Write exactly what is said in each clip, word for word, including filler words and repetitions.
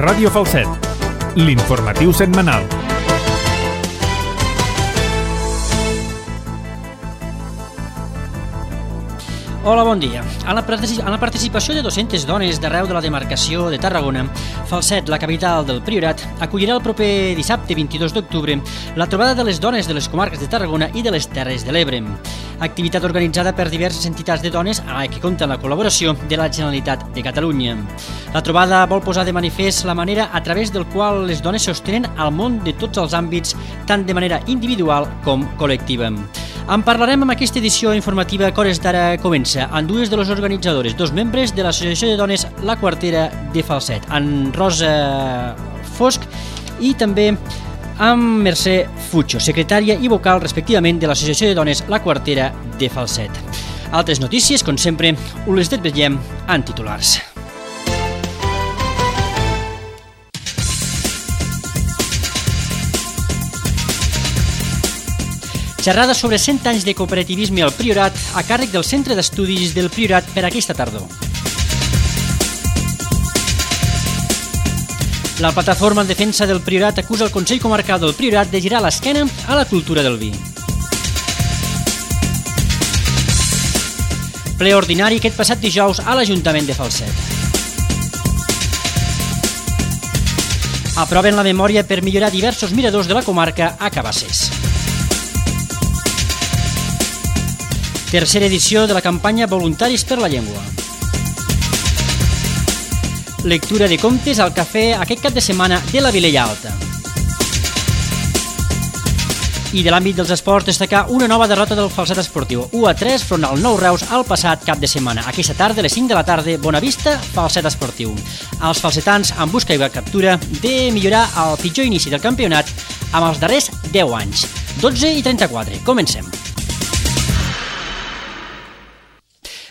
Ràdio Falset, l'informatiu setmanal. Hola, bon dia. En la, particip en la participació de dues-centes dones d'arreu de la demarcació de Tarragona, Falset, la capital del Priorat, acollirà el proper dissabte vint-i-dos d'octubre la trobada de les dones de les comarques de Tarragona i de les Terres de l'Ebre. Activitat organitzada per diverses entitats de dones a què compta la col·laboració de la Generalitat de Catalunya. La trobada vol posar de manifest la manera a través del qual les dones sostenen el món de tots els àmbits, tant de manera individual com col·lectiva. En parlarem amb aquesta edició informativa que hores d'ara comença, amb dues de les organitzadores, dos membres de l'Associació de Dones La Quartera de Falset, en Rosa Fosc i també amb Mercè Fucho, secretària i vocal respectivament de l'Associació de Dones La Quartera de Falset. Altres notícies, com sempre, us les detallem en titulars. Xerrada sobre cent anys de cooperativisme al Priorat a càrrec del Centre d'Estudis del Priorat per aquesta tardor. La plataforma en defensa del Priorat acusa el Consell Comarcal del Priorat de girar l'esquena a la cultura del vi. Ple ordinari aquest passat dijous a l'Ajuntament de Falset. Aproven la memòria per millorar diversos miradors de la comarca a Cabasses. Tercera edició de la campanya Voluntaris per la Llengua. Lectura de contes al cafè aquest cap de setmana de la Vilella Alta. I de l'àmbit dels esports destacar una nova derrota del Falset Esportiu, u a tres front al Nou Reus el passat cap de setmana. Aquesta tarda, a les cinc de la tarda, Bonavista, Falset Esportiu. Els falsetans en busca i captura de millorar el pitjor inici del campionat amb els darrers deu anys. dotze i trenta-quatre. Comencem.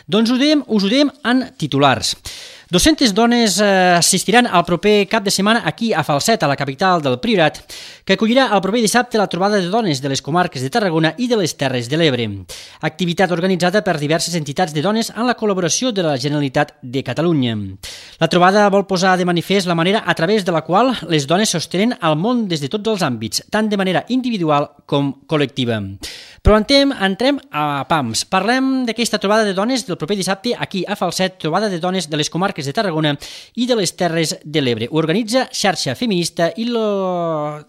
Doncs ho dèiem, us ho dèiem en titulars. dues-centes dones assistiran al proper cap de setmana aquí a Falset, a la capital del Priorat, que acollirà el proper dissabte la trobada de dones de les comarques de Tarragona i de les Terres de l'Ebre. Activitat organitzada per diverses entitats de dones en la col·laboració de la Generalitat de Catalunya. La trobada vol posar de manifest la manera a través de la qual les dones sostenen el món des de tots els àmbits, tant de manera individual com col·lectiva. Però entrem, entrem a pams. Parlem d'aquesta trobada de dones del proper dissabte aquí a Falset, trobada de dones de les comarques de Tarragona i de les Terres de l'Ebre. Ho organitza Xarxa Feminista i lo...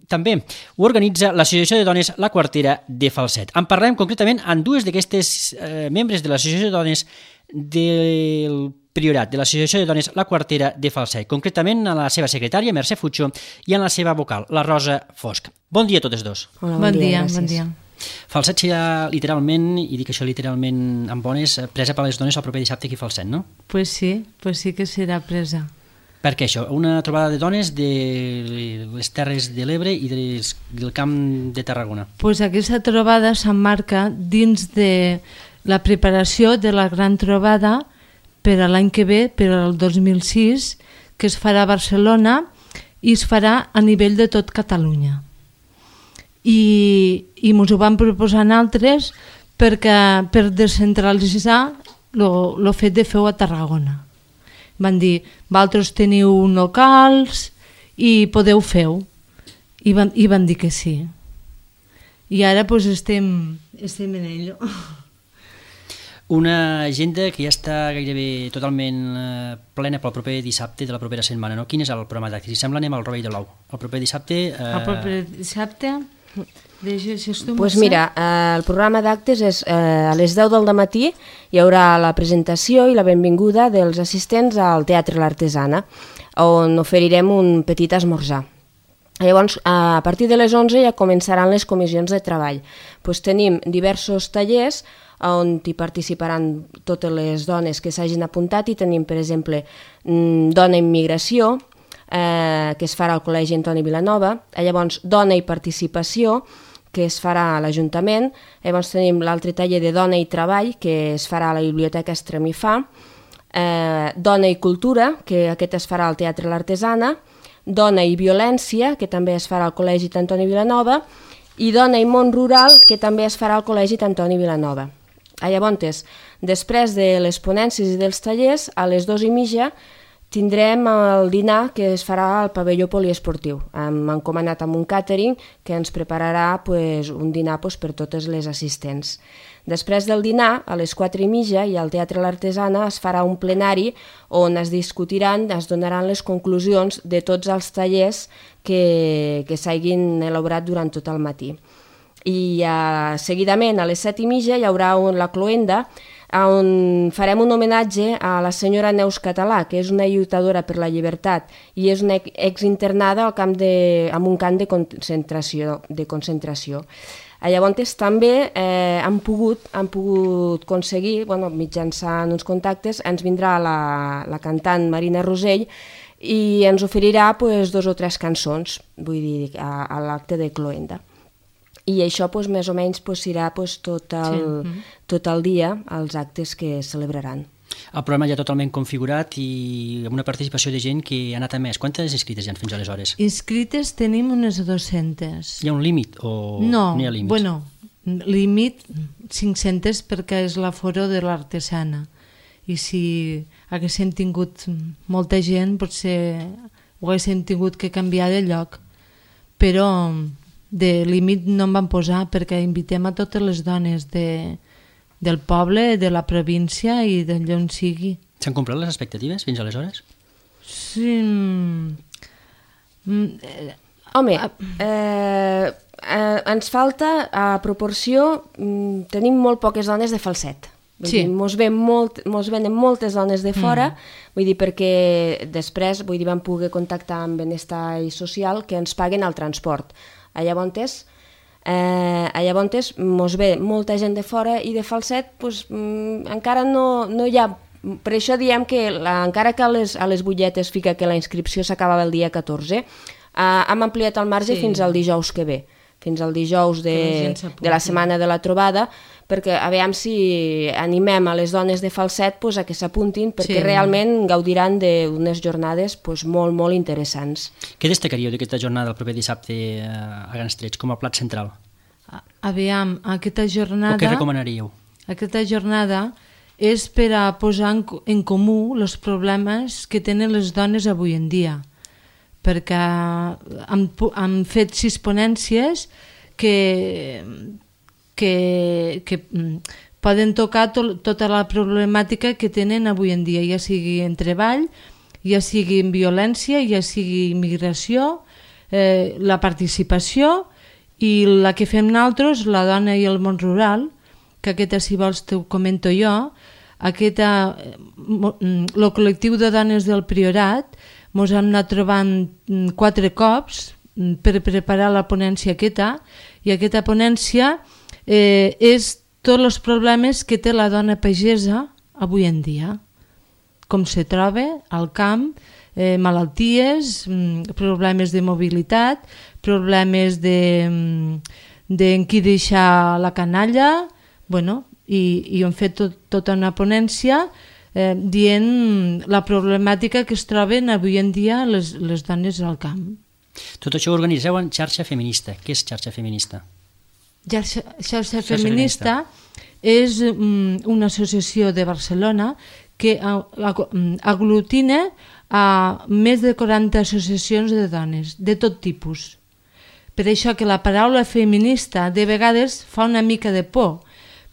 també ho organitza l'Associació de Dones La Quartera de Falset. En parlem concretament amb dues d'aquestes eh, membres de l'Associació de Dones del Priorat, de l'Associació de Dones La Quartera de Falset, concretament a la seva secretària, Mercè Fucho, i en la seva vocal, la Rosa Fosc. Bon dia a totes dos. Hola, bon, bon dia, dia bon dia. Falset serà literalment, i dic això literalment amb bones, presa per les dones el proper dissabte aquí a Falset, no? Pues sí, pues sí que serà presa. Per què això? Una trobada de dones de les Terres de l'Ebre i des, del Camp de Tarragona. Pues aquesta trobada s'emmarca dins de la preparació de la gran trobada per a l'any que ve, per al dos mil sis, que es farà a Barcelona i es farà a nivell de tot Catalunya. I, i ens ho van proposar altres perquè, per descentralitzar el fet de fer-ho a Tarragona. Van dir, vosaltres teniu locals i podeu fer-ho. I van, i van dir que sí. I ara pues, estem, estem en ello. Una agenda que ja està gairebé totalment eh, plena pel proper dissabte de la propera setmana, no? Quin és el programa d'actes? Si sembla anem al Rovell de l'Ou. El proper dissabte... Eh... El proper dissabte... Pues mira, eh, el programa d'actes és eh, a les deu del matí hi haurà la presentació i la benvinguda dels assistents al Teatre L'Artesana, on oferirem un petit esmorzar. Llavors, a partir de les onze ja començaran les comissions de treball. Pues tenim diversos tallers on hi participaran totes les dones que s'hagin apuntat i tenim, per exemple, Dona en Migració, Eh, que es farà al Col·legi Antoni Vilanova, llavors Dona i Participació, que es farà a l'Ajuntament, llavors tenim l'altre taller de Dona i Treball, que es farà a la Biblioteca Estremifà, eh, Dona i Cultura, que aquest es farà al Teatre L'Artesana, Dona i Violència, que també es farà al Col·legi Antoni Vilanova, i Dona i Món Rural, que també es farà al Col·legi Antoni Vilanova. Llavors, després de les ponències i dels tallers, a les dues i mitja tindrem el dinar que es farà al pavelló poliesportiu. Hem encomanat amb un càtering que ens prepararà pues, un dinar pues, per totes les assistents. Després del dinar, a les quatre i mitja, i al Teatre l'Artesana es farà un plenari on es discutiran, es donaran les conclusions de tots els tallers que, que s'hagin elaborat durant tot el matí. I uh, seguidament, a les set i mitja, hi haurà un, la cloenda, on farem un homenatge a la senyora Neus Català, que és una lluitadora per la llibertat i és una exinternada al camp de, en un camp de concentració. De concentració. Llavors també eh, han, pogut, han pogut aconseguir, bueno, mitjançant uns contactes, ens vindrà la, la cantant Marina Rosell i ens oferirà pues, dos o tres cançons, vull dir, a, a l'acte de cloenda. I això pues, més o menys pues, serà pues, tot, el, sí. tot el dia els actes que es celebraran. El programa ja totalment configurat i amb una participació de gent que ha anat a més. Quantes inscrites hi ha fins aleshores? Inscrites tenim unes dues-centes. Hi ha un límit o no, no hi ha límits? Bueno, límit cinc-centes perquè és l'aforo de l'Artesana. I si haguéssim tingut molta gent, potser ho haguéssim tingut que canviar de lloc. Però de límit no em van posar perquè invitem a totes les dones de, del poble, de la província i d'allà on sigui. S'han complert les expectatives fins aleshores? Sí. Home, eh, eh, ens falta a proporció, mm, tenim molt poques dones de falset. Vull sí. dir, mos, ven molt, mos venen moltes dones de fora, mm. vull dir, perquè després vull dir, vam poder contactar amb Benestar i Social que ens paguen el transport. A Llavontes, eh, a Llavontes mos ve molta gent de fora i de Falset pues, mm, encara no, no hi ha... Per això diem que la, encara que a les, a les butlletes fica que la inscripció s'acabava el dia catorze, eh, hem ampliat el marge sí. fins al dijous que ve, fins al dijous de, de la setmana de la trobada, perquè a veure si animem a les dones de Falset pues, a que s'apuntin, perquè sí. realment gaudiran d'unes jornades pues, molt, molt interessants. Què destacaríeu d'aquesta jornada el proper dissabte a Grans Trets, com a plat central? Aviam, aquesta jornada... O què recomanaríeu? Aquesta jornada és per a posar en, en comú els problemes que tenen les dones avui en dia, perquè han, han fet sis ponències que... Que, que poden tocar to, tota la problemàtica que tenen avui en dia, ja sigui en treball, ja sigui en violència, ja sigui immigració, eh, la participació i la que fem nosaltres, la dona i el món rural, que aquesta, si vols, t'ho comento jo, aquesta, el col·lectiu de dones del Priorat ens hem anat trobant quatre cops per preparar la ponència aquesta, i aquesta ponència Eh, és tots els problemes que té la dona pagesa avui en dia, com se troba al camp, eh, malalties, problemes de mobilitat, problemes de, de en qui deixar la canalla, bueno, i, i hem fet tot, tota una ponència eh, dient la problemàtica que es troben avui en dia les, les dones al camp. Tot això ho organitzeu en Xarxa Feminista. Què és Xarxa Feminista? Xarxa, Xarxa Feminista és um, una associació de Barcelona que aglutina a més de quaranta associacions de dones, de tot tipus. Per això que la paraula feminista de vegades fa una mica de por,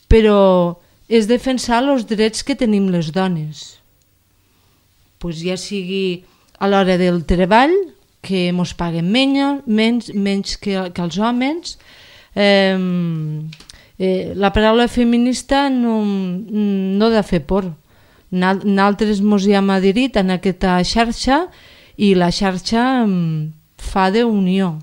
però és defensar els drets que tenim les dones. Pues ja sigui a l'hora del treball, que ens paguen menys, menys, menys que, que els homes. Eh, eh, la paraula feminista no, no ha de fer por. Nosaltres ens hi hem adherit en aquesta xarxa i la xarxa fa d'unió.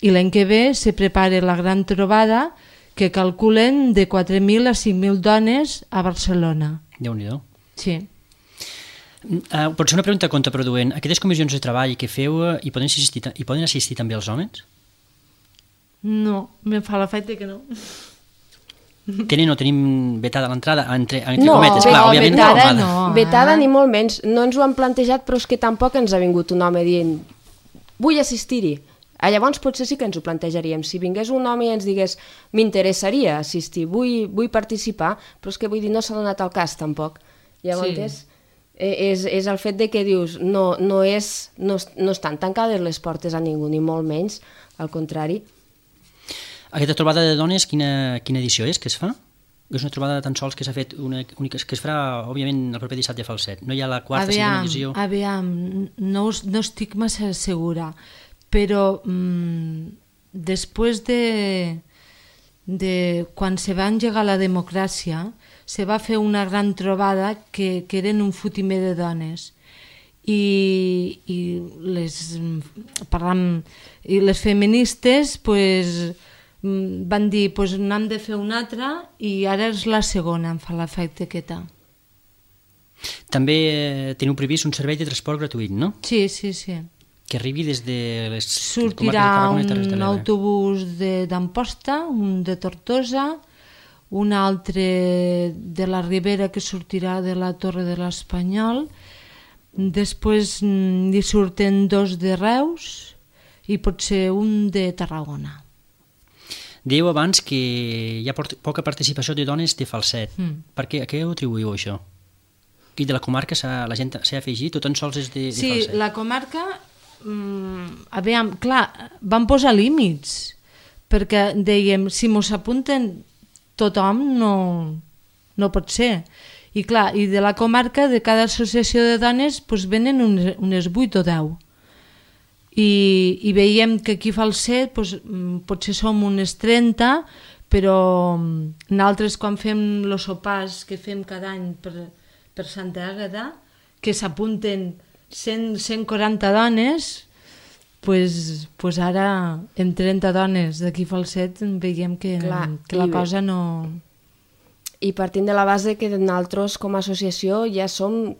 I l'any que ve se prepara la gran trobada que calculen de quatre mil a cinc mil dones a Barcelona. Déu-n'hi-do. Sí. Uh, pot ser una pregunta contraproduent. Aquestes comissions de treball que feu hi poden assistir, hi poden assistir també els homes? No, me fa l'efecte que no. Tenen o tenim vetada l'entrada entre, entre no, cometes? Clar, no, òbviament vetada no. no. Vetada ni molt menys. No ens ho han plantejat, però és que tampoc ens ha vingut un home dient vull assistir-hi. Llavors potser sí que ens ho plantejaríem. Si vingués un home i ens digués m'interessaria assistir, vull, vull participar, però és que vull dir no s'ha donat el cas tampoc. Llavors, sí. és, és el fet de que dius no, no, és, no, no estan tancades les portes a ningú, ni molt menys, al contrari. Aquesta trobada de dones, quina, quina edició és que es fa? És una trobada tan sols que s'ha fet, una, única, que es farà, òbviament, el proper dissabte a Falset. No hi ha la quarta, segona edició? Aviam, no, no estic massa segura, però mmm, després de, de quan se va engegar la democràcia, se va fer una gran trobada que, que eren un fotimer de dones. I, i, les, parlant, i les feministes, pues, van dir, pues, n'hem de fer una altra i ara és la segona, em fa l'efecte aquesta. També eh, teniu previst un servei de transport gratuït, no? Sí, sí, sí. Que arribi des de les sortirà un autobús d'Amposta, un de Tortosa, un altre de la Ribera que sortirà de la Torre de l'Espanyol, després hi surten dos de Reus i potser un de Tarragona. Dèieu abans que hi ha poca participació de dones de Falset. Mm. Per què? A què ho atribuïu, això? I de la comarca la gent s'ha afegit o tan sols és de, de sí, Falset? Sí, la comarca, mmm, aviam, clar, van posar límits, perquè dèiem, si mos apunten tothom no, no pot ser. I clar, i de la comarca, de cada associació de dones, doncs venen unes, unes vuit o deu. I, i veiem que aquí a Falset doncs, potser som unes trenta, però nosaltres quan fem els sopars que fem cada any per, per Santa Àgata, que s'apunten cent, cent quaranta dones, pues, pues ara en trenta dones d'aquí a Falset veiem que, Clar, que la cosa no... I partint de la base que nosaltres com a associació ja som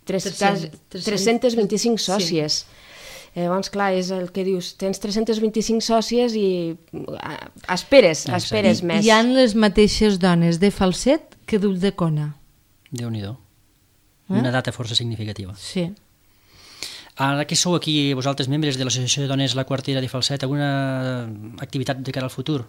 tres cents vint-i-cinc sòcies. Sí. Eh, llavors, clar, és el que dius, tens tres cents vint-i-cinc sòcies i esperes, esperes I, més. Hi ha les mateixes dones de Falset que d'Ulldecona. Déu-n'hi-do. Eh? Una data força significativa. Sí. Ara que sou aquí, vosaltres membres de l'Associació de Dones La Quartera de Falset, alguna activitat de cara al futur?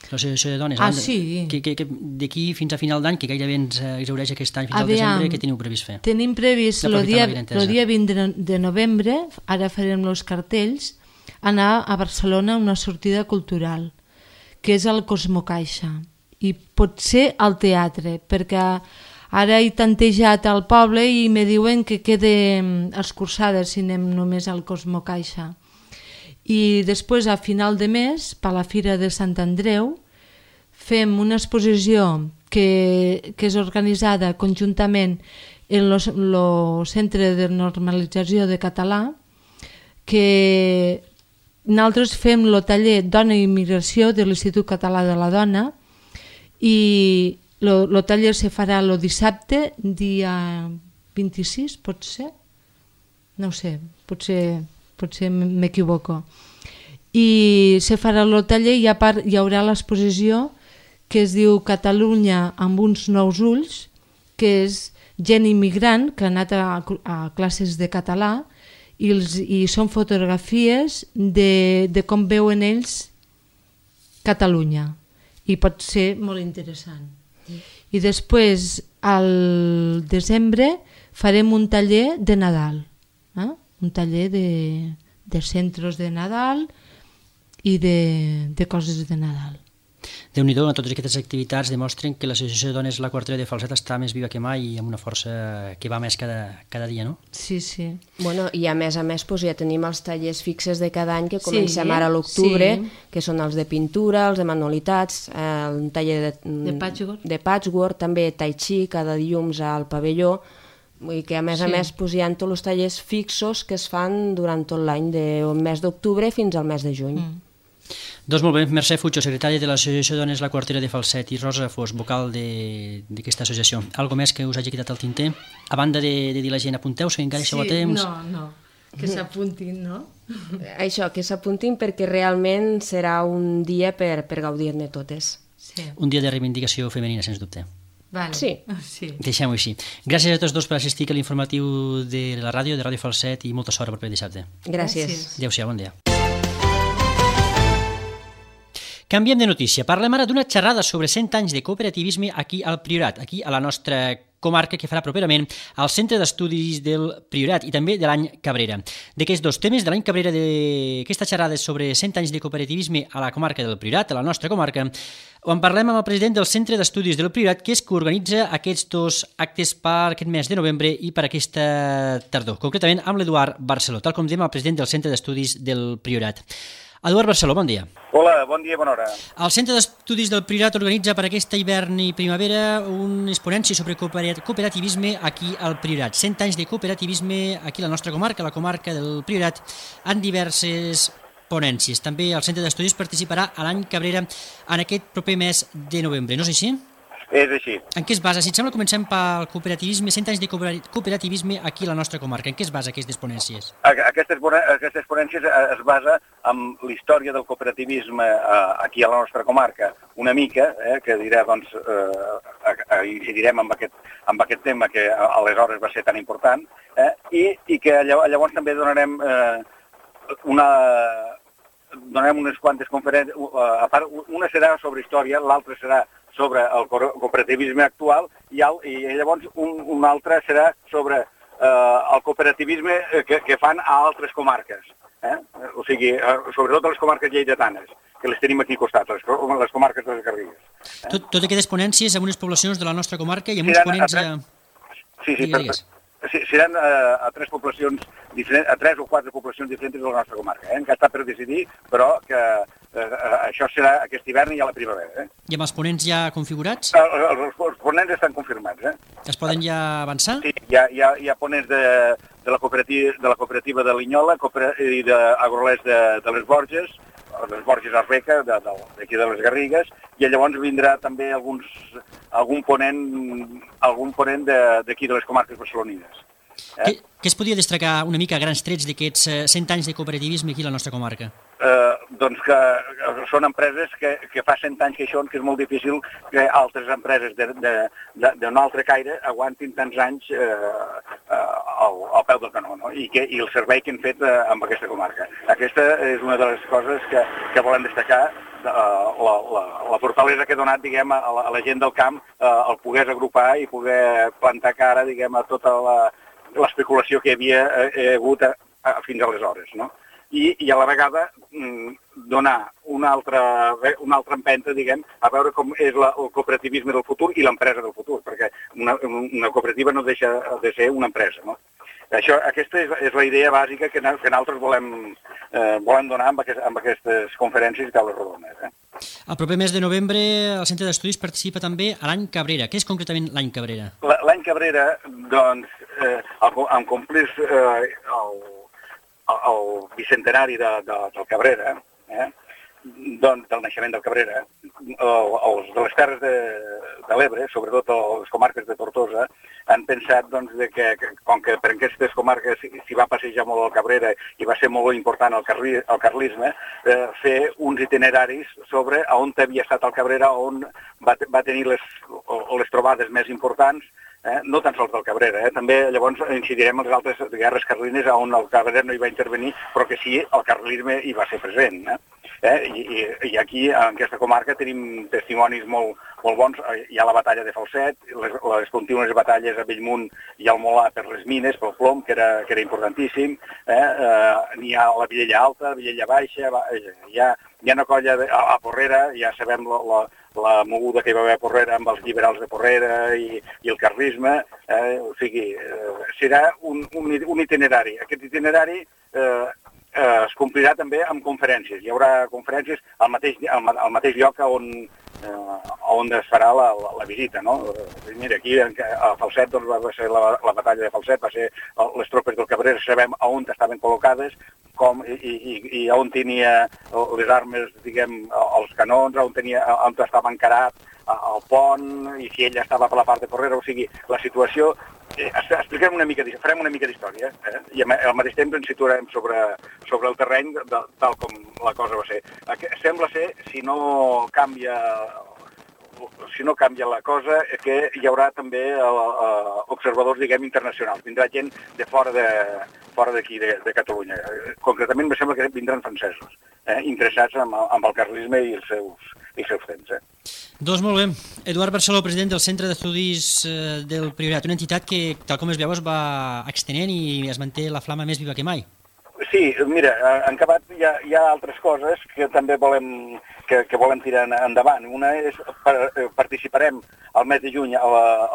L'associació de dones? Ah, sí. D'aquí fins a final d'any, que gairebé ens exhaureix aquest any fins al desembre, què teniu previst fer? Tenim previst el dia, dia vint de novembre, ara farem els cartells, anar a Barcelona a una sortida cultural, que és al Cosmocaixa, i potser al teatre, perquè ara he tantejat al poble i me diuen que quede escurçada si anem només al Cosmocaixa. I després, a final de mes, per la Fira de Sant Andreu, fem una exposició que, que és organitzada conjuntament en el Centre de Normalització de Català, que nosaltres fem el taller Dona i Immigració de l'Institut Català de la Dona i el taller se farà el dissabte, dia vint-i-sis, pot ser? No ho sé, potser... potser m'equivoco. I se farà el taller i a part hi haurà l'exposició que es diu Catalunya amb uns nous ulls, que és gent immigrant que ha anat a, a classes de català i, els, i són fotografies de, de com veuen ells Catalunya i pot ser molt interessant. I després, al desembre, farem un taller de Nadal, eh? un taller de, de centres de Nadal i de, de coses de Nadal. Déu-n'hi-do, totes aquestes activitats demostren que l'Associació de Dones La Quartera de Falset està més viva que mai i amb una força que va més cada, cada dia, no? Sí, sí. Bueno, i a més a més pues, ja tenim els tallers fixes de cada any que comencem sí, ara a l'octubre, sí. que són els de pintura, els de manualitats, el taller de, de, patchwork. de patchwork, també tai chi cada dilluns al pavelló, i que a més sí. a més pues, hi ha tots els tallers fixos que es fan durant tot l'any, del mes d'octubre fins al mes de juny. Mm. Doncs molt bé, Mercè Fucho, secretària de l'Associació de Dones La Quartera de Falset, i Rosa Fos, vocal d'aquesta associació. Algo més que us hagi quedat al tinter? A banda de, de dir a la gent, apunteu-se, encara això sí, a temps? No, no, que s'apuntin, no? Això, que s'apuntin perquè realment serà un dia per, per gaudir-ne totes. Sí. Un dia de reivindicació femenina, sens dubte. Vale. Sí. sí. Deixem-ho així. Gràcies a tots dos per assistir a l'informatiu de la ràdio, de Ràdio Falset, i molta sort per dissabte. Gràcies. Adéu-siau, bon dia. Canviem de notícia. Parlem ara d'una xerrada sobre cent anys de cooperativisme aquí al Priorat, aquí a la nostra comarca que farà properament al Centre d'Estudis del Priorat i també de l'any Cabrera. D'aquests dos temes, de l'any Cabrera, d'aquesta xerrada sobre cent anys de cooperativisme a la comarca del Priorat, a la nostra comarca, ho en parlem amb el president del Centre d'Estudis del Priorat, que és que organitza aquests dos actes per aquest mes de novembre i per aquesta tardor, concretament amb l'Eduard Barceló, tal com diem el president del Centre d'Estudis del Priorat. Eduard Barceló, bon dia. Hola, bon dia, bona hora. El Centre d'Estudis del Priorat organitza per aquesta hivern i primavera unes ponències sobre cooperativisme aquí al Priorat. Cent anys de cooperativisme aquí a la nostra comarca, la comarca del Priorat, en diverses ponències. També el Centre d'Estudis participarà a l'any Cabrera en aquest proper mes de novembre, no és així? És així. En què es basa? Si et sembla, comencem pel cooperativisme, cent anys de cooperativisme aquí a la nostra comarca. En què es basa aquestes ponències? Aquestes, aquestes ponències es basa en l'història del cooperativisme aquí a la nostra comarca, una mica, eh, que dirà, doncs, eh, incidirem amb aquest, amb aquest tema que aleshores va ser tan important, eh, i, i que llavors també donarem eh, una... donarem unes quantes conferències, a part, una serà sobre història, l'altra serà sobre el cooperativisme actual i, el, i llavors un, un altre serà sobre eh, el cooperativisme que, que fan a altres comarques, eh? O sigui, sobretot a les comarques lleidatanes, que les tenim aquí costats, les, les comarques de les Garrigues. Eh? Tot, tot aquestes ponències amb unes poblacions de la nostra comarca i amb uns ponents... A... Sí, sí, per, sí, seran uh, a tres poblacions diferents, a tres o quatre poblacions diferents de la nostra comarca, eh? Que està per decidir, però que uh, això serà aquest hivern i a la primavera. Eh? I amb els ponents ja configurats? Els, els, els ponents estan confirmats. Eh? Es poden ja avançar? Sí, hi ha, hi ha, hi ha ponents de, de, la cooperativa, de la cooperativa de Linyola i d'Agrolers de, de les Borges, les Borges Arbeca, d'aquí de, de les Garrigues, i llavors vindrà també alguns, algun ponent, algun ponent d'aquí de, de les comarques barcelonines. Eh? Què, què es podria destacar una mica a grans trets d'aquests cent anys de cooperativisme aquí a la nostra comarca? Eh, doncs que són empreses que, que fa cent anys que hi són, que és molt difícil que altres empreses d'un altre caire aguantin tants anys eh, eh, al, al peu del canó, no? I, que, i el servei que han fet eh, amb aquesta comarca. Aquesta és una de les coses que, que volem destacar, eh, la, la, la fortalesa que ha donat, diguem, a la, a la gent del camp, eh, el poder agrupar i poder plantar cara, diguem, a tota l'especulació que hi havia eh, hagut a, a, fins aleshores, no? I, i a la vegada mm, donar una altra, una altra empenta, diguem, a veure com és la, el cooperativisme del futur i l'empresa del futur, perquè una, una cooperativa no deixa de ser una empresa, no? Això, aquesta és, és la idea bàsica que, que nosaltres volem, eh, volem donar amb, aquest, amb aquestes conferències i taules rodones. Eh? El proper mes de novembre el Centre d'Estudis participa també a l'any Cabrera. Què és concretament l'any Cabrera? L'any Cabrera, doncs, eh, en complir eh, el, el bicentenari de, de, del Cabrera, eh, doncs, del naixement del Cabrera, els de les Terres de, de l'Ebre, sobretot les comarques de Tortosa, han pensat doncs, de que, que, com que per aquestes comarques s'hi va passejar molt el Cabrera i va ser molt important el, carli, el carlisme, eh, fer uns itineraris sobre on havia estat el Cabrera, on va, va tenir les, les trobades més importants, eh, no tan sols del Cabrera, eh, també llavors incidirem en les altres guerres carlines on el Cabrera no hi va intervenir, però que sí, el carlisme hi va ser present. Eh? Eh? I, i, I aquí, en aquesta comarca, tenim testimonis molt, molt bons. Hi ha la batalla de Falset, les, les contínues batalles a Bellmunt i al Molar per les mines, pel plom, que era, que era importantíssim. Eh? Eh, N'hi ha la Vilella Alta, Vilella Baixa, hi ha, hi ha una colla de, a, a Porrera, ja sabem la, la, la moguda que hi va haver a Porrera amb els liberals de Porrera i, i el carlisme. Eh? O sigui, eh, serà un, un, un itinerari. Aquest itinerari eh, Eh, es complirà també amb conferències. Hi haurà conferències al mateix, al, al mateix lloc on, eh, on es farà la, la, la visita, no? Eh, mira, aquí a Falset doncs, va ser la, la batalla de Falset, va ser les tropes del Cabrera, sabem on estaven col·locades, com, i, i, i on tenia les armes, diguem, els canons, on, tenia, on estava encarat el pont, i si ella estava per la part de Porrera, o sigui, la situació. Eh, expliquem una mica, farem una mica d'història, eh? I al mateix temps ens situarem sobre, sobre el terreny de, tal com la cosa va ser. Sembla ser, si no canvia, si no canvia la cosa, que hi haurà també uh, observadors, diguem, internacionals. Vindrà gent de fora de fora d'aquí, de, de Catalunya. Concretament, em sembla que vindran francesos, eh? Interessats en, en el carlisme i els seus, i els seus temps. Eh? Doncs molt bé. Eduard Barceló, president del Centre d'Estudis del Priorat, una entitat que, tal com es veu, es va extenent i es manté la flama més viva que mai. Sí, mira, en acabat hi ha, hi ha altres coses que també volem, que, que volem tirar endavant. Una és, per, participarem al mes de juny a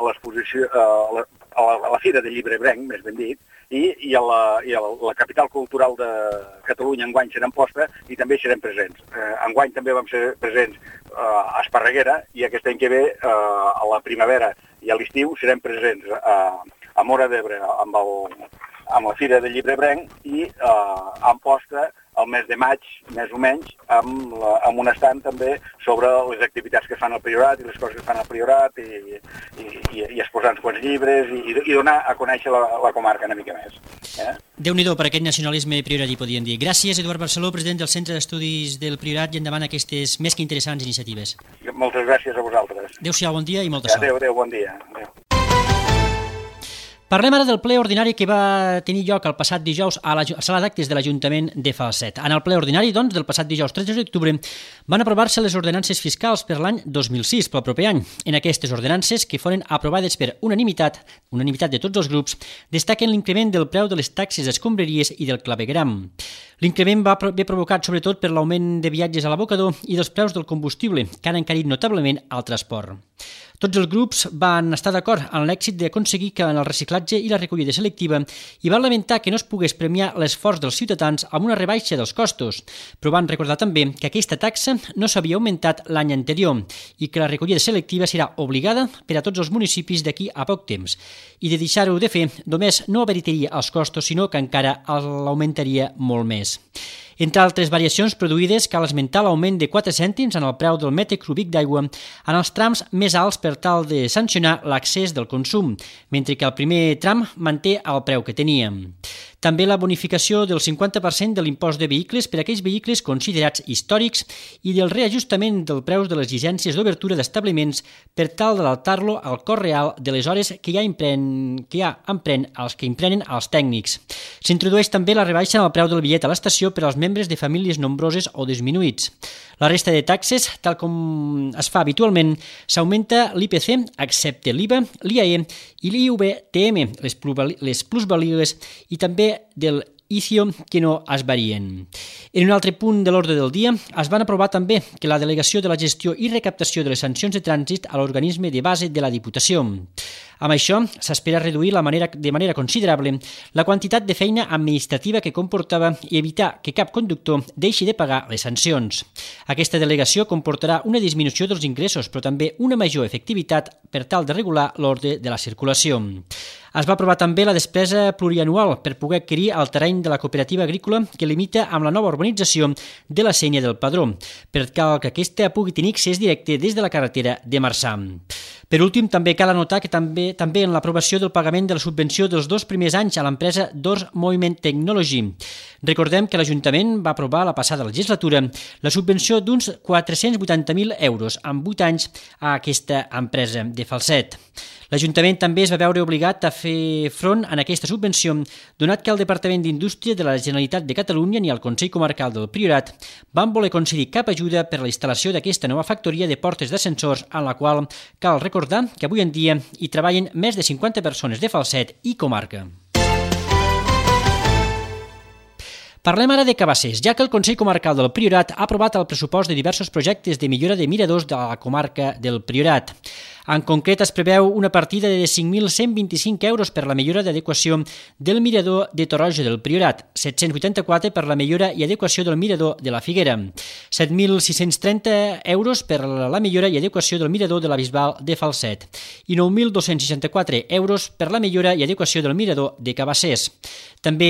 l'exposició, a, la, a, la, a la Fira del Llibre Ebrenc, més ben dit, i, i, a la, i a la capital cultural de Catalunya enguany serem posta i també serem presents. Eh, enguany també vam ser presents eh, a Esparreguera i aquest any que ve, eh, a la primavera i a l'estiu, serem presents a, a Móra d'Ebre amb, el, amb la Fira del Llibre Ebrenc i eh, en posta el mes de maig, més o menys, amb, la, amb un estand també sobre les activitats que fan al Priorat i les coses que fan al Priorat i, i, i, i exposar uns quants llibres i, i donar a conèixer la, la comarca una mica més. Eh? Déu-n'hi-do per aquest nacionalisme prioratí, podríem dir. Gràcies, Eduard Barceló, president del Centre d'Estudis del Priorat, i endavant aquestes més que interessants iniciatives. Moltes gràcies a vosaltres. Adéu-siau, bon dia i molta sort. Adéu, adéu, bon dia. Adéu. Parlem ara del ple ordinari que va tenir lloc el passat dijous a la sala d'actes de l'Ajuntament de Falset. En el ple ordinari, doncs, del passat dijous tretze d'octubre van aprovar-se les ordenances fiscals per l'any dos mil sis, pel proper any. En aquestes ordenances, que foren aprovades per unanimitat, unanimitat de tots els grups, destaquen l'increment del preu de les taxes d'escombraries i del clavegueram. L'increment va haver provocat sobretot per l'augment de viatges a l'abocador i dels preus del combustible, que han encarit notablement el transport. Tots els grups van estar d'acord en l'èxit d'aconseguir que en el reciclatge i la recollida selectiva i van lamentar que no es pogués premiar l'esforç dels ciutadans amb una rebaixa dels costos, però van recordar també que aquesta taxa no s'havia augmentat l'any anterior i que la recollida selectiva serà obligada per a tots els municipis d'aquí a poc temps. I de deixar-ho de fer, només no abarataria els costos, sinó que encara l'augmentaria molt més. Entre altres variacions produïdes, cal esmentar l'augment de quatre cèntims en el preu del metre cúbic d'aigua en els trams més alts per tal de sancionar l'accés del consum, mentre que el primer tram manté el preu que tenia. També la bonificació del cinquanta per cent de l'impost de vehicles per a aquells vehicles considerats històrics i del reajustament del preus de les llicències d'obertura d'establiments per tal d'adaptar-lo al cost real de les hores que ja, empren, que ja empren els que emprenen els tècnics. S'introdueix també la rebaixa en el preu del bitllet a l'estació per als membres de famílies nombroses o disminuïts. La resta de taxes, tal com es fa habitualment, s'augmenta l'I P C, excepte l'I V A, l'I A E i l'I V T M, les plusvàlides, i també del I C I O que no es varien. En un altre punt de l'ordre del dia es van aprovar també que la delegació de la gestió i recaptació de les sancions de trànsit a l'organisme de base de la Diputació. Amb això, s'espera reduir la manera, de manera considerable la quantitat de feina administrativa que comportava i evitar que cap conductor deixi de pagar les sancions. Aquesta delegació comportarà una disminució dels ingressos, però també una major efectivitat per tal de regular l'ordre de la circulació. Es va aprovar també la despesa plurianual per poder adquirir el terreny de la cooperativa agrícola que limita amb la nova urbanització de la Sénia del Padró, per tal que aquesta pugui tenir accés directe des de la carretera de Marçà. Per últim, també cal anotar que també també en l'aprovació del pagament de la subvenció dels dos primers anys a l'empresa Doors Movement Technology. Recordem que l'Ajuntament va aprovar la passada legislatura la subvenció d'uns quatre-cents vuitanta mil euros en vuit anys a aquesta empresa de Falset. L'Ajuntament també es va veure obligat a fer front en aquesta subvenció, donat que el Departament d'Indústria de la Generalitat de Catalunya ni el Consell Comarcal del Priorat van voler concedir cap ajuda per a la instal·lació d'aquesta nova factoria de portes d'ascensors, en la qual cal recordar que avui en dia hi treballen més de cinquanta persones de Falset i comarca. Parlem ara de Cabassers, ja que el Consell Comarcal del Priorat ha aprovat el pressupost de diversos projectes de millora de miradors de la comarca del Priorat. En concret, es preveu una partida de cinc mil cent vint-i-cinc euros per la millora d'adequació del mirador de Torroja del Priorat, set-cents vuitanta-quatre per la millora i adequació del mirador de la Figuera, set mil sis-cents trenta euros per la millora i adequació del mirador de la Bisbal de Falset i nou mil dos-cents seixanta-quatre euros per la millora i adequació del mirador de Cabassers. També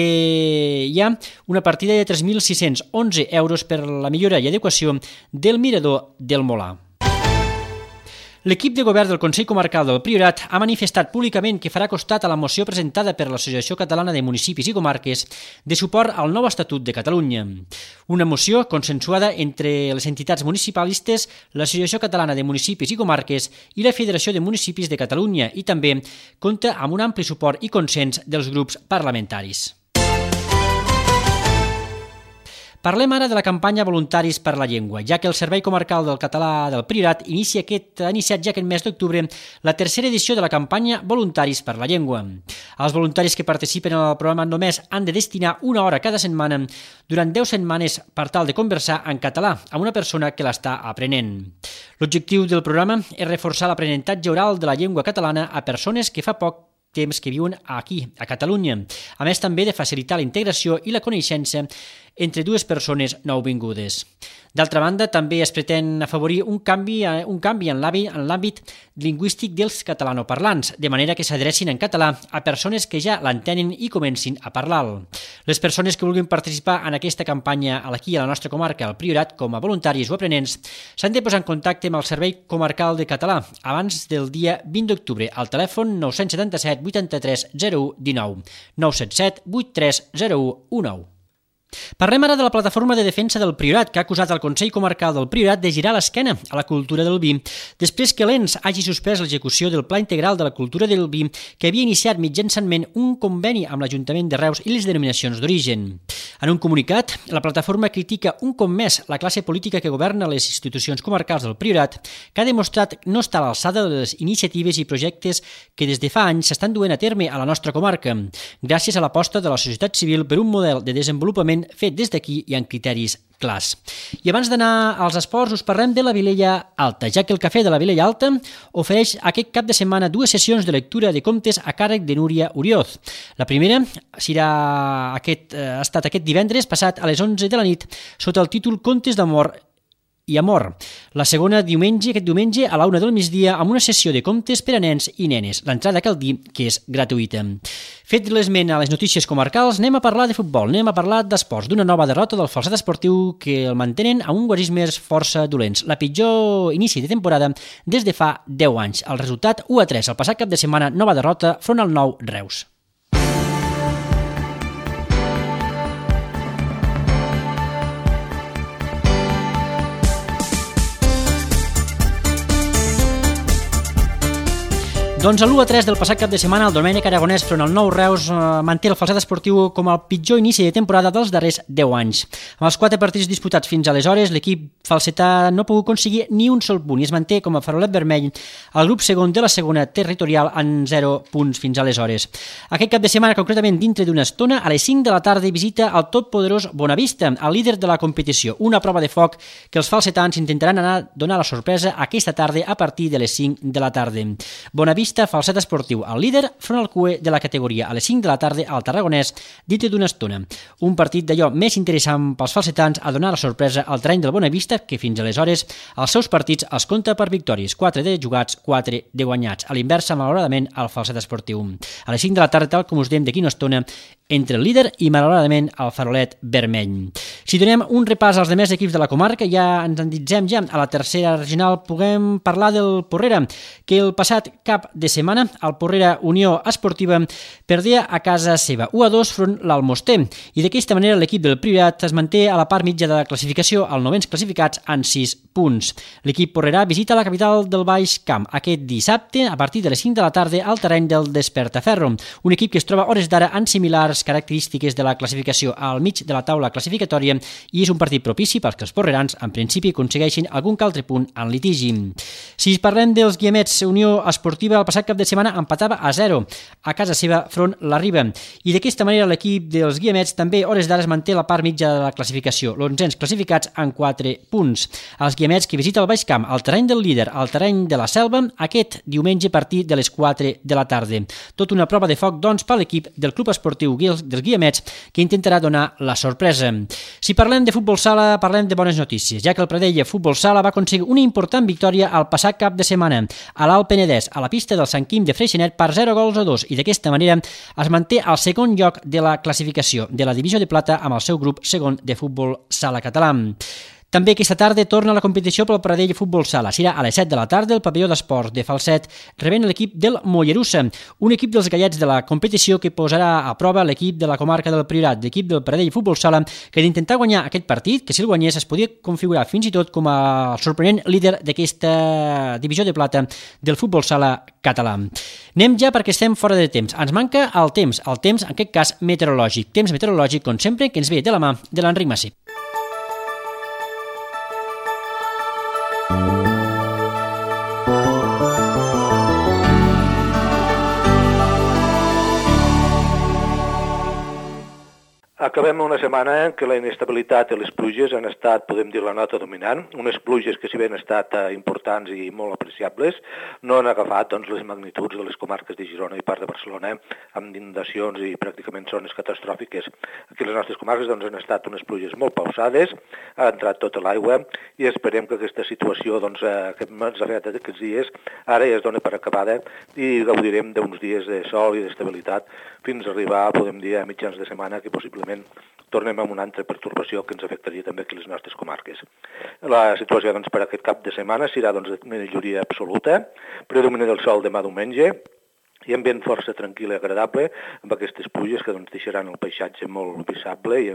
hi ha una partida de tres mil sis-cents onze euros per la millora i adequació del mirador del Molar. L'equip de govern del Consell Comarcal del Priorat ha manifestat públicament que farà costat a la moció presentada per l'Associació Catalana de Municipis i Comarques de suport al nou Estatut de Catalunya. Una moció consensuada entre les entitats municipalistes, l'Associació Catalana de Municipis i Comarques i la Federació de Municipis de Catalunya i també compta amb un ampli suport i consens dels grups parlamentaris. Parlem ara de la campanya Voluntaris per la Llengua, ja que el Servei Comarcal del Català del Priorat inicia aquest, ha iniciat ja aquest mes d'octubre la tercera edició de la campanya Voluntaris per la Llengua. Els voluntaris que participen en el programa només han de destinar una hora cada setmana durant deu setmanes per tal de conversar en català amb una persona que l'està aprenent. L'objectiu del programa és reforçar l'aprenentatge oral de la llengua catalana a persones que fa poc temps que viuen aquí, a Catalunya, a més també de facilitar la integració i la coneixença entre dues persones nouvingudes. D'altra banda, també es pretén afavorir un canvi, un canvi en l'àmbit lingüístic dels catalanoparlants, de manera que s'adrecin en català a persones que ja l'entenen i comencin a parlar-lo. Les persones que vulguin participar en aquesta campanya aquí a la nostra comarca, al Priorat, com a voluntaris o aprenents, s'han de posar en contacte amb el Servei Comarcal de Català abans del dia vint d'octubre al telèfon nou set set vuitanta-tres zero u dinou, nou set set vuitanta-tres zero u dinou. Parlem ara de la Plataforma de Defensa del Priorat, que ha acusat el Consell Comarcal del Priorat de girar l'esquena a la cultura del vi, després que l'E N S hagi suspès l'execució del Pla Integral de la Cultura del Vi, que havia iniciat mitjançament un conveni amb l'Ajuntament de Reus i les denominacions d'origen. En un comunicat, la plataforma critica un cop més la classe política que governa les institucions comarcals del Priorat, que ha demostrat no estar a l'alçada de les iniciatives i projectes que des de fa anys s'estan duent a terme a la nostra comarca, gràcies a l'aposta de la societat civil per un model de desenvolupament fet des d'aquí i amb criteris clars. I abans d'anar als esports us parlem de la Vilella Alta, ja que el Cafè de la Vilella Alta ofereix aquest cap de setmana dues sessions de lectura de contes a càrrec de Núria Orioz. La primera serà aquest, ha estat aquest divendres passat a les onze de la nit sota el títol Contes d'amor i amor. La segona, diumenge, aquest diumenge a la una del migdia amb una sessió de contes per a nens i nenes. L'entrada cal dir que és gratuïta. Fet l'esment a les notícies comarcals, anem a parlar de futbol, anem a parlar d'esports, d'una nova derrota del Falset Esportiu que el mantenen a un guarismes força dolents. La pitjor inici de temporada des de fa deu anys. El resultat u a tres. El passat cap de setmana, nova derrota front al nou Reus. Doncs a l'u a tres del passat cap de setmana, el Domènec Aragonès front al nou Reus eh, manté el Falset Esportiu com el pitjor inici de temporada dels darrers deu anys. Amb els quatre partits disputats fins aleshores, l'equip falsetà no ha pogut aconseguir ni un sol punt i es manté com a farolet vermell al grup segon de la segona territorial en zero punts fins aleshores. Aquest cap de setmana, concretament dintre d'una estona, a les cinc de la tarda visita el totpoderós Bonavista, el líder de la competició, una prova de foc que els falsetans intentaran anar a donar la sorpresa aquesta tarda a partir de les cinc de la tarda. Bonavista Falset Esportiu, el líder, front al C U E de la categoria, a les cinc de la tarda al Tarragonès, dintre d'una estona. Un partit d'allò més interessant pels falsetans a donar la sorpresa al terreny del Bonavista, que fins aleshores els seus partits els compta per victòries, quatre de jugats, quatre de guanyats. A l'inversa, malauradament, al Falset Esportiu. A les cinc de la tarda, tal com us dèiem d'aquí una estona, entre el líder i, malauradament, el farolet vermell. Si donem un repàs als demés equips de la comarca, ja ens endinsem ja a la tercera regional, puguem parlar del Porrera, que el passat cap de setmana el Porrera Unió Esportiva perdia a casa seva u a dos front l'Almoster i d'aquesta manera l'equip del Priorat es manté a la part mitja de la classificació als novens classificats en sis punts. L'equip porrerà visita la capital del Baix Camp aquest dissabte a partir de les cinc de la tarda al terreny del Despertaferro, un equip que es troba hores d'ara en similars característiques de la classificació al mig de la taula classificatòria i és un partit propici perquè els porrerans en principi aconsegueixin algun que altre punt en litigi. Si parlem dels Guiamets, Unió Esportiva el passat cap de setmana empatava a zero a casa seva front la Riba i d'aquesta manera l'equip dels Guiamets també hores d'ara es manté la part mitja de la classificació, l'onzens classificats en quatre punts. Els Guiamets que visita el Baix Camp, al terreny del líder, al terreny de la Selva, aquest diumenge a partir de les quatre de la tarda. Tot una prova de foc, doncs, per l'equip del Club Esportiu dels Guiamets, que intentarà donar la sorpresa. Si parlem de futbol sala, parlem de bones notícies, ja que el Pradell Futbol Sala va aconseguir una important victòria al passat cap de setmana a l'Alt Penedès, a la pista del Sant Quim de Freixenet per zero gols a dos i d'aquesta manera es manté al segon lloc de la classificació de la divisió de plata amb el seu grup segon de futbol sala català. També aquesta tarda torna la competició pel Pradell Futbol Sala. Serà a les set de la tarda el pavelló d'esports de Falset rebent l'equip del Mollerussa, un equip dels gallets de la competició que posarà a prova l'equip de la comarca del Priorat, l'equip del Pradell Futbol Sala, que d'intentar guanyar aquest partit, que si el guanyés es podia configurar fins i tot com a sorprenent líder d'aquesta divisió de plata del futbol sala català. Anem ja perquè estem fora de temps. Ens manca el temps, el temps en aquest cas meteorològic. Temps meteorològic, com sempre, que ens ve de la mà de l'Enric Massip. Acabem una setmana en què la inestabilitat i les pluges han estat, podem dir, la nota dominant. Unes pluges que, si bé han estat eh, importants i molt apreciables, no han agafat doncs, les magnituds de les comarques de Girona i part de Barcelona, amb inundacions i pràcticament zones catastròfiques. Aquí les nostres comarques doncs, han estat unes pluges molt pausades, ha entrat tota l'aigua i esperem que aquesta situació doncs, eh, que ens ha fet aquests dies ara ja es dona per acabada i gaudirem d'uns dies de sol i d'estabilitat fins a arribar, podem dir, a mitjans de setmana, que possiblement tornem amb una altra pertorbació que ens afectaria també aquí les nostres comarques. La situació doncs, per aquest cap de setmana serà doncs, de majoria absoluta, predominant el sol demà diumenge, i ambient força tranquil i agradable, amb aquestes pluges que doncs, deixaran el paisatge molt visible i,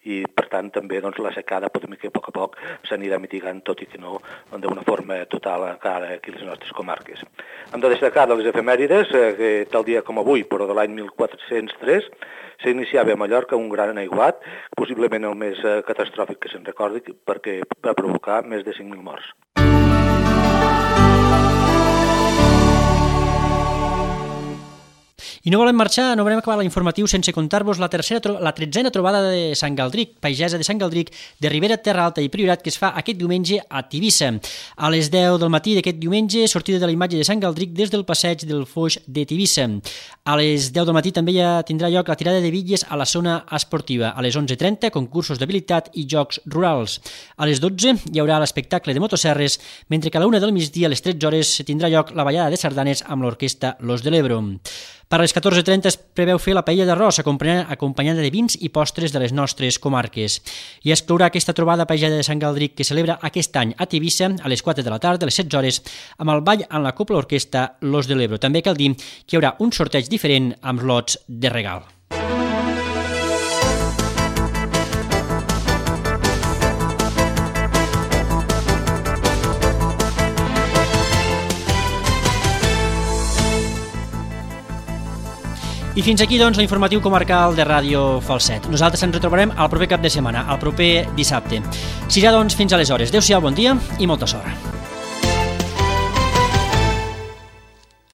i per tant, també doncs, la secada podem dir que a poc a poc s'anirà mitigant, tot i que no d'una forma total encara aquí a les nostres comarques. Hem de destacar de les efemèrides, eh, que tal dia com avui, però de l'any mil quatre-cents tres, s'iniciava a Mallorca un gran aiguat, possiblement el més eh, catastròfic que se'n recordi, perquè va provocar més de cinc mil morts. I no volem marxar, no volem acabar l'informatiu sense contar-vos la tercera, la tretzena trobada de Sant Galdric, pagesa de Sant Galdric, de Ribera, Terra Alta i Priorat, que es fa aquest diumenge a Tivissa. A les deu del matí d'aquest diumenge, sortida de la imatge de Sant Galdric des del passeig del Foix de Tivissa. A les deu del matí també ja tindrà lloc la tirada de bitlles a la zona esportiva. A les onze trenta, concursos d'habilitat i jocs rurals. A les dotze hi haurà l'espectacle de motosserres, mentre que a la una del migdia, a les tretze hores, tindrà lloc la ballada de sardanes amb l'orquestra Los de l'Ebro. Per a les catorze trenta es preveu fer la paella d'arròs, acompanyada de vins i postres de les nostres comarques. I exclourà aquesta trobada paellada de Sant Galdric que celebra aquest any a Tivissa a les quatre de la tarda, a les setze hores, amb el ball en la copla orquestra Los de l'Ebro. També cal dir que hi haurà un sorteig diferent amb lots de regal. I fins aquí, doncs, l'informatiu comarcal de Ràdio Falset. Nosaltres ens retrobarem al proper cap de setmana, al proper dissabte. Serà, doncs, fins aleshores. Adéu-siau, bon dia i molta sort.